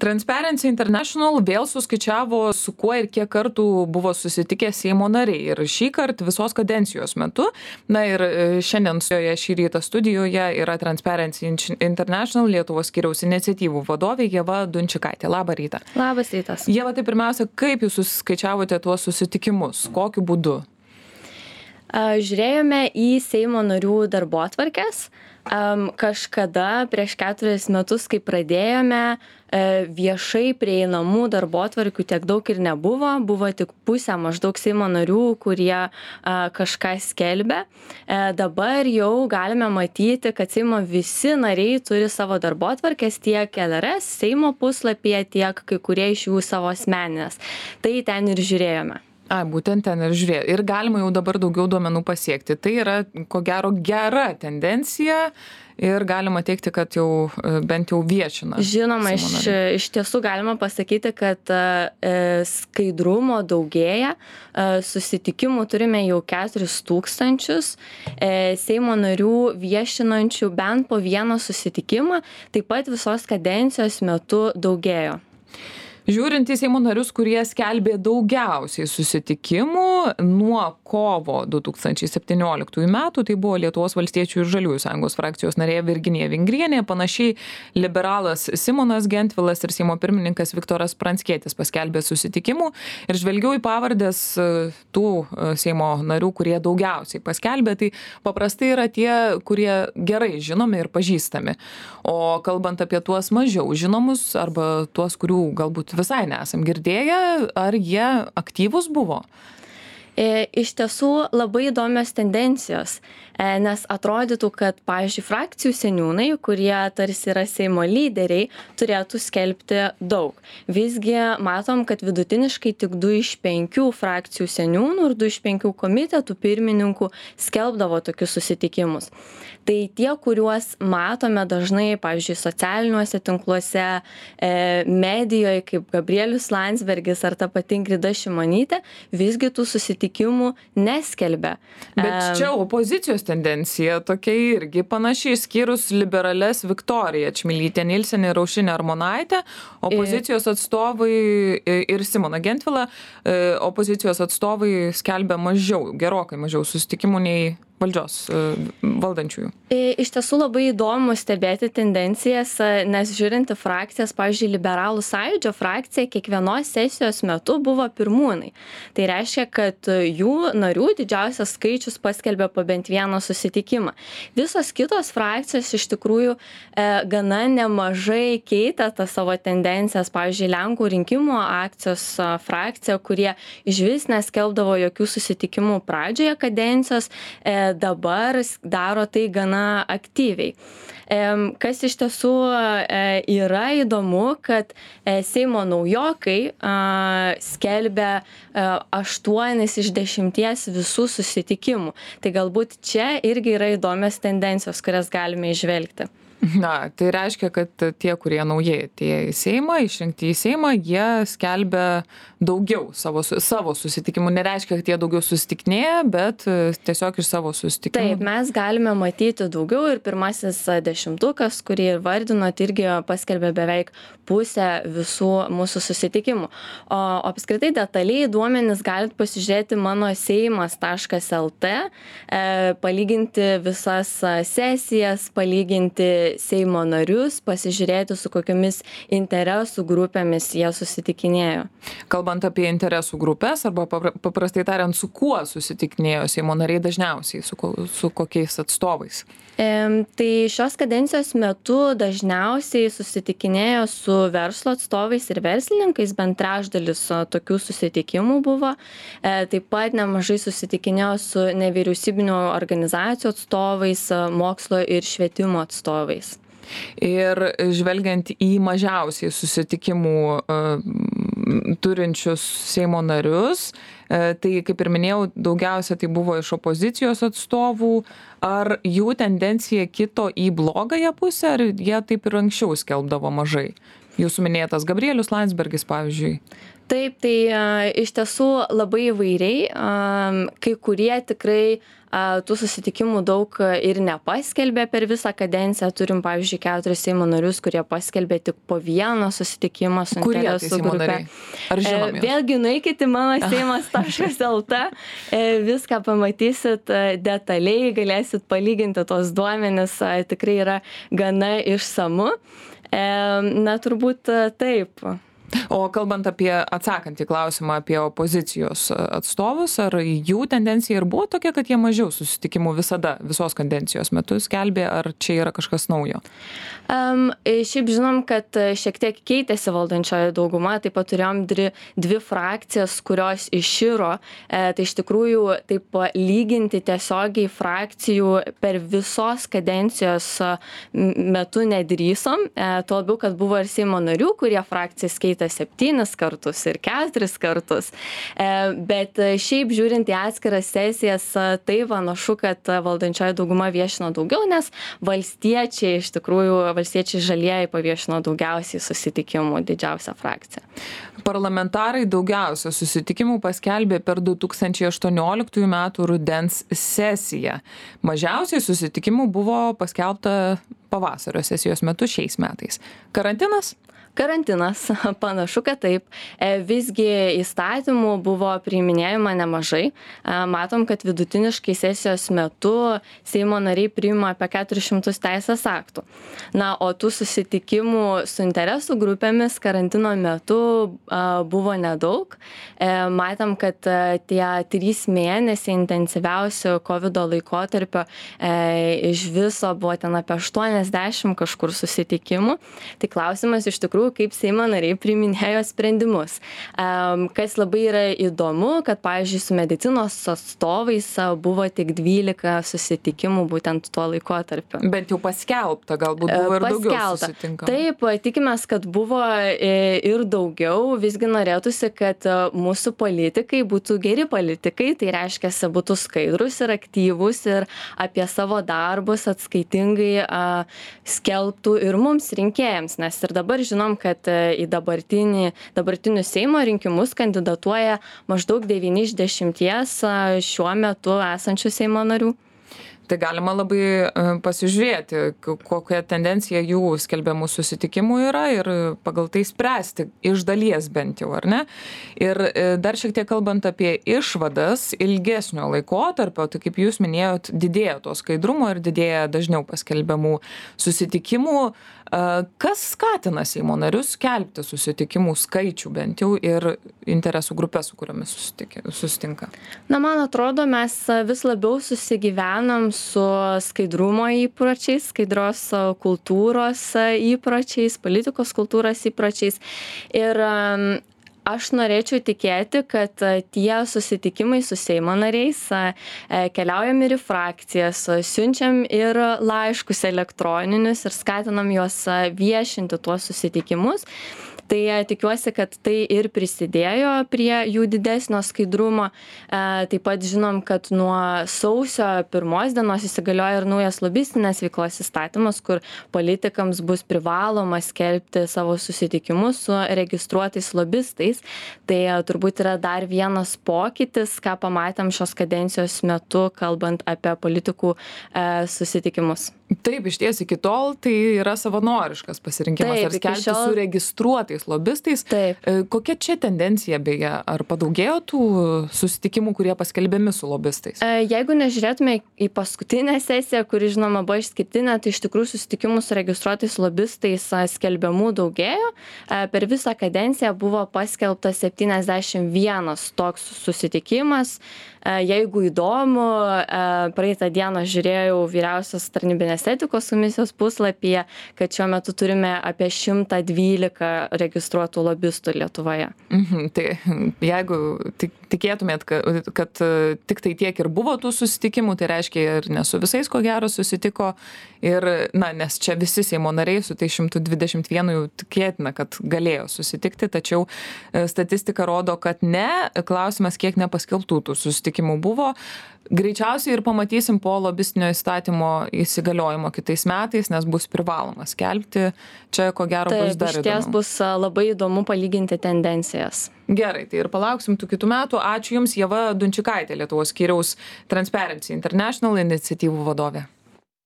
Transparency International vėl suskaičiavo, su kuo ir kiek kartų buvo susitikę Seimo nariai. Ir šį kartą visos kadencijos metu. Na ir šiandien šį rytą studijoje yra Transparency International Lietuvos skyriaus iniciatyvų vadovė Ieva Dunčikaitė. Labą rytą. Labas rytas. Ieva, tai pirmiausia, kaip jūs suskaičiavote tuos susitikimus? Kokiu būdu? Žiūrėjome į Seimo narių darbotvarkes. Kažkada prieš 4 metus, kai pradėjome, viešai prieinamų darbotvarkių tiek daug ir nebuvo. Buvo tik pusė maždaug Seimo narių, kurie kažką skelbė. Dabar jau galime matyti, kad Seimo visi nariai turi savo darbotvarkes tiek LRS Seimo puslapyje, tiek kai kurie iš jų savo asmeninės. Tai ten ir žiūrėjome. Būtent ten ir žiūrėjau. Ir galima jau dabar daugiau duomenų pasiekti. Tai yra, ko gero, gera tendencija ir galima teikti, kad jau bent jau viešina. Žinoma, iš tiesų galima pasakyti, kad skaidrumo daugėja. Susitikimų turime jau 4000. Seimo narių viešinančių bent po vieną susitikimą. Taip pat visos kadencijos metu daugėjo. Žiūrint į Seimo narius, kurie skelbė daugiausiai susitikimų nuo kovo 2017 metų, tai buvo Lietuvos valstiečių ir žaliųjų sąjungos frakcijos narė Virginija Vingrienė, panašiai liberalas Simonas Gentvilas ir Seimo pirmininkas Viktoras Pranckietis paskelbė susitikimų. Ir žvelgiau į pavardės tų Seimo narių, kurie daugiausiai paskelbė, tai paprastai yra tie, kurie gerai žinomi ir pažįstami. O kalbant apie tuos mažiau žinomus arba tuos, kurių galbūt visai nesam girdėję, ar jie aktyvūs buvo? Iš tiesų labai įdomios tendencijos, nes atrodytų, kad, pavyzdžiui, frakcijų seniūnai, kurie tarsi yra Seimo lyderiai, turėtų skelbti daug. Visgi matom, kad vidutiniškai tik 2 iš 5 frakcijų seniūnų ir 2 iš 5 komitetų pirmininkų skelbdavo tokius susitikimus. Tai tie, kuriuos matome dažnai, pavyzdžiui, socialiniuose tinkluose, medijoje, kaip Gabrielius Landsbergis ar ta pati Ingrida Šimonytė, visgi tų susitikimų neskelbia. Bet čia opozicijos tendencija tokia irgi panašiai, išskyrus liberales Viktoriją Čmilytę Nilsen ir Aušrinę Armonaitę, opozicijos atstovai ir Simoną Gentvilą, opozicijos atstovai skelbia mažiau, gerokai mažiau susitikimų nei valdžios valdančiųjų. Iš tiesų labai įdomu stebėti tendencijas, nes žiūrinti frakcijas, pavyzdžiui, liberalų sąjūdžio frakcija kiekvienos sesijos metu buvo pirmūnai. Tai reiškia, kad jų narių didžiausias skaičius paskelbė po bent vieną susitikimą. Visos kitos frakcijos iš tikrųjų gana nemažai keitė tas savo tendencijas. Pavyzdžiui, Lenkų rinkimų akcijos frakcija, kurie išvis neskelbdavo jokių susitikimų pradžioje kadencijos, dabar daro tai gana aktyviai. Kas iš tiesų yra įdomu, kad Seimo naujokai skelbia 8 iš 10 visų susitikimų. Tai galbūt čia irgi yra įdomios tendencijos, kurias galime įžvelgti. Na, tai reiškia, kad tie, kurie naujai atėjo į Seimą, išrinkti į Seimą, jie skelbia daugiau savo susitikimų. Nereiškia, kad jie daugiau susitikinėja, bet tiesiog iš savo susitikimų. Taip, mes galime matyti daugiau ir pirmasis 10, kurį vardinot, irgi paskelbė beveik pusę visų mūsų susitikimų. O apskritai detaliai duomenis galite pasižiūrėti mano seimas.lt, palyginti visas sesijas, palyginti Seimo narius, pasižiūrėti, su kokiamis interesų grupėmis jie susitikinėjo. Kalbant apie interesų grupės, arba paprastai tariant, su kuo susitikinėjo Seimo nariai dažniausiai, su kokiais atstovais? Tai šios kadencijos metu dažniausiai susitikinėjo su verslo atstovais ir verslininkais, bent trečdalis tokių susitikimų buvo. Taip pat nemažai susitikinėjo su nevyriausybinių organizacijų atstovais, mokslo ir švietimo atstovais. Ir žvelgiant į mažiausiai susitikimų turinčius Seimo narius, tai, kaip ir minėjau, daugiausia tai buvo iš opozicijos atstovų. Ar jų tendencija kito į blogąją pusę, ar jie taip ir anksčiau skelbdavo mažai? Jūsų minėtas Gabrielius Landsbergis, pavyzdžiui. Taip, tai iš tiesų labai įvairiai, kai kurie tikrai tų susitikimų daug ir nepaskelbė per visą kadenciją. Turim, pavyzdžiui, 4 Seimo narius, kurie paskelbė tik po vieną susitikimą su interesų grupe. Ar žinom juos? Vėlgi nueikit į mano seimas.lt, viską pamatysit detaliai, galėsit palyginti tos duomenis, tikrai yra gana išsamu. Na, turbūt taip. O kalbant apie atsakant į klausimą apie opozicijos atstovus, ar jų tendencija ir buvo tokia, kad jie mažiau susitikimų visada, visos kadencijos metu skelbė, ar čia yra kažkas naujo? Šiaip žinom, kad šiek tiek keitėsi valdančioji dauguma, taip pat turėjom dvi frakcijas, kurios iširo, tai iš tikrųjų taip lyginti tiesiogiai frakcijų per visos kadencijos metu nedrįsom, tuo labiau, kad buvo ir Seimo narių, kurie frakcijas keitė 7 kartus ir 4 kartus. Bet šiaip žiūrint į atskiras sesijas, tai panašu, kad valdančioji dauguma viešino daugiau, nes valstiečiai žalieji paviešino daugiausiai susitikimų, didžiausią frakciją. Parlamentarai daugiausia susitikimų paskelbė per 2018 metų rudens sesiją. Mažiausiai susitikimų buvo paskelbta pavasario sesijos metu šiais metais. Karantinas? Karantinas, panašu, kad taip. Visgi įstatymų buvo priiminėjama nemažai. Matom, kad vidutiniškai sesijos metu Seimo nariai priima apie 400 teisės aktų. Na, o tų susitikimų su interesų grupėmis karantino metu buvo nedaug. Matom, kad tie 3 mėnesiai intensyviausio COVID laikotarpio iš viso buvo ten apie 80 kažkur susitikimų. Tai klausimas iš tikrųjų, kaip Seimo nariai priiminėjo sprendimus. Kas labai yra įdomu, kad, pavyzdžiui, su medicinos atstovais buvo tik 12 susitikimų būtent tuo laikotarpiu. Bent jau paskelbta, galbūt buvo ir daugiau susitinkama. Taip, tikimės, kad buvo ir daugiau. Visgi norėtųsi, kad mūsų politikai būtų geri politikai, tai reiškia, būtų skaidrus ir aktyvus ir apie savo darbus atskaitingai skelbtų ir mums rinkėjams, nes ir dabar žinom, kad į dabartinius Seimo rinkimus kandidatuoja maždaug 9 iš 10 šiuo metu esančių Seimo narių. Tai galima labai pasižiūrėti, kokia tendencija jų skelbiamų susitikimų yra ir pagal tai spręsti, iš dalies bent jau, ar ne? Ir dar šiek tiek kalbant apie išvadas ilgesnio laikotarpio, tai kaip jūs minėjot, didėja to skaidrumo ir didėja dažniau paskelbiamų susitikimų. Kas skatina Seimo narius skelbti susitikimų skaičių bent jau ir interesų grupės, su kuriomis susitinka? Na, man atrodo, mes vis labiau susigyvenam su skaidrumo įpročiais, skaidros kultūros įpročiais, politikos kultūros įpročiais. Ir aš norėčiau tikėti, kad tie susitikimai su Seimo nariais keliaujam ir į frakcijas, siunčiam ir laiškus elektroninius ir skatinam juos viešinti tuos susitikimus. Tai tikiuosi, kad tai ir prisidėjo prie jų didesnio skaidrumo. Taip pat žinom, kad nuo sausio 1 dienos įsigalioja ir naujas lobistinės veiklos įstatymas, kur politikams bus privaloma skelbti savo susitikimus su registruotais lobistais. Tai turbūt yra dar vienas pokytis, ką pamatėm šios kadencijos metu, kalbant apie politikų susitikimus. Taip, iš ties iki tol tai yra savanoriškas pasirinkimas. Taip, ar skelbti su registruotais lobistais. Taip. Kokia čia tendencija beje? Ar padaugėjo tų susitikimų, kurie paskelbiami su lobistais? Jeigu nežiūrėtume į paskutinę sesiją, kuri žinoma buvo išskirtinė, tai iš tikrųjų susitikimų su registruotais lobistais skelbiamų daugėjo. Per visą kadenciją buvo paskelbtas 71 toks susitikimas. Jeigu įdomu, praeitą dieną žiūrėjau vyriausios tarnybinės etikos komisijos puslapyje, kad šiuo metu turime apie 112 registruotų lobistų Lietuvoje. Tai jeigu tik tikėtumėt, kad tik tai tiek ir buvo tų susitikimų, tai reiškia ir ne su visais ko gero susitiko. Ir, nes čia visi Seimo nariai su tai 121 jau tikėtina, kad galėjo susitikti, tačiau statistika rodo, kad ne. Klausimas, kiek nepaskelbtų tų susitikimų buvo. Greičiausiai ir pamatysim po lobistinio įstatymo įsigaliojimo kitais metais, nes bus privaloma skelbti. Čia ko gero bus dar įdomu. Išties bus labai įdomu palyginti tendencijas. Gerai, tai ir palauksim tų kitų metų. Ačiū Jums, Ieva Dunčikaitė, Lietuvos skyriaus Transparency International iniciatyvų vadovė.